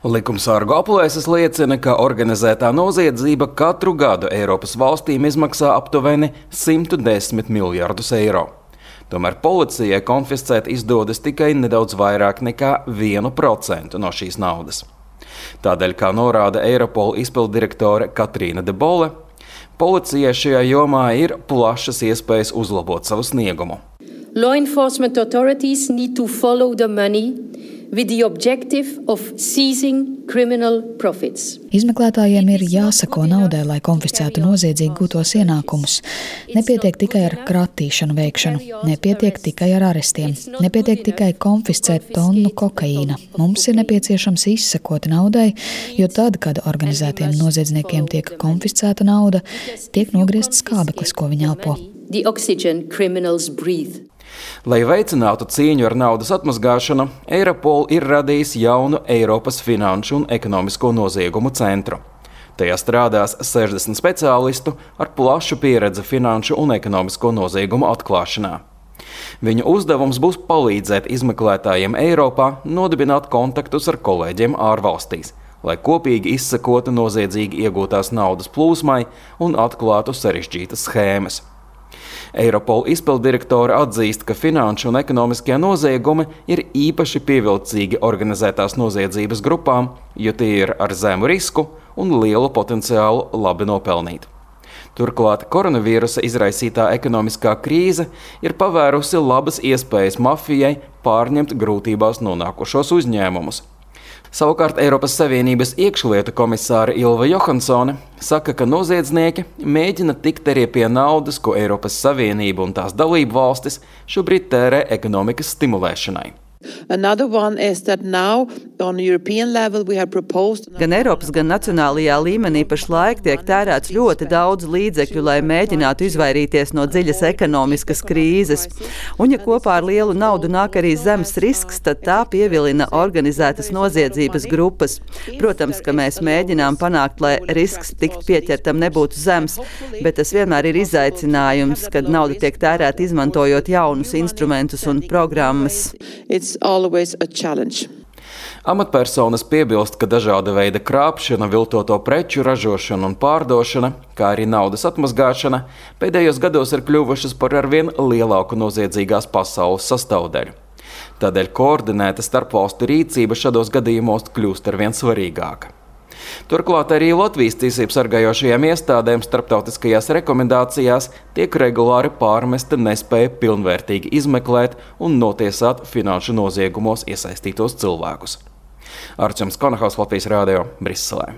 Likumsargu aplēses liecina, ka organizētā noziedzība katru gadu Eiropas valstīm izmaksā aptuveni 110 miljardus eiro. Tomēr policijai konfiscēt izdodas tikai nedaudz vairāk nekā 1% no šīs naudas. Tādēļ, kā norāda Eiropola izpilddirektore Katrīna de Bolle, policijai šajā jomā ir plašas iespējas uzlabot savu sniegumu. Law enforcement authorities need to follow the money with the objective of seizing criminal profits. Izmeklētājiem ir jāsako naudai, lai konfiscētu noziedzīgi gūtos ienākumus. Nepietiek tikai ar kratīšanu veikšanu, nepietiek tikai ar arestiem, nepietiek tikai konfiscēt tonu kokaīna. Mums ir nepieciešams izsekot naudai, jo tad, kad organizētiem noziedzniekiem tiek konfiscēta nauda, tiek nogriezts skābeklis, ko viņi elpo. The oxygen criminals breathe. Lai veicinātu cīņu ar naudas atmazgāšanu, Eiropola ir radījis jaunu Eiropas finanšu un ekonomisko noziegumu centru. Tajā strādās 60 speciālistu ar plašu pieredzi finanšu un ekonomisko noziegumu atklāšanā. Viņu uzdevums būs palīdzēt izmeklētājiem Eiropā nodibināt kontaktus ar kolēģiem ārvalstīs, lai kopīgi izsekotu noziedzīgi iegūtās naudas plūsmai un atklātu sarežģītas schēmas. Eiropola izpilddirektore atzīst, ka finanšu un ekonomiskie noziegumi ir īpaši pievilcīgi organizētās noziedzības grupām, jo tie ir ar zemu risku un lielu potenciālu labi nopelnīt. Turklāt koronavīrusa izraisītā ekonomiskā krīze ir pavērusi labas iespējas mafijai pārņemt grūtībās nonākušos uzņēmumus. Savukārt Eiropas Savienības iekšlietu komisāre Ilva Johansone saka, ka noziedznieki mēģina tikt arī pie naudas, ko Eiropas Savienība un tās dalību valstis šobrīd tērē ekonomikas stimulēšanai. Gan Eiropas, gan nacionālajā līmenī pašlaik tiek tērēts ļoti daudz līdzekļu, lai mēģinātu izvairīties no dziļas ekonomiskas krīzes. Un ja kopā ar lielu naudu nāk arī zemes risks, tad tā pievilina organizētas noziedzības grupas. Protams, ka mēs mēģinām panākt, lai risks tikt pieķertam nebūtu zems, bet tas vienmēr ir izaicinājums, kad nauda tiek tērēta izmantojot jaunus instrumentus un programmas. Amatpersonas piebilst, ka dažāda veida krāpšana, viltoto preču ražošana un pārdošana, kā arī naudas atmazgāšana, pēdējos gados ir kļuvušas par arvien lielāku noziedzīgās pasaules sastāvdaļu. Tādēļ koordinēta starpvalstu rīcība šādos gadījumos kļūst arvien svarīgāka. Turklāt arī Latvijas tiesību sargājošajām iestādēm starptautiskajās rekomendācijās tiek regulāri pārmesta nespēja pilnvērtīgi izmeklēt un notiesāt finanšu noziegumos iesaistītos cilvēkus. Arčuns Konahaus, Latvijas radio, Briselē.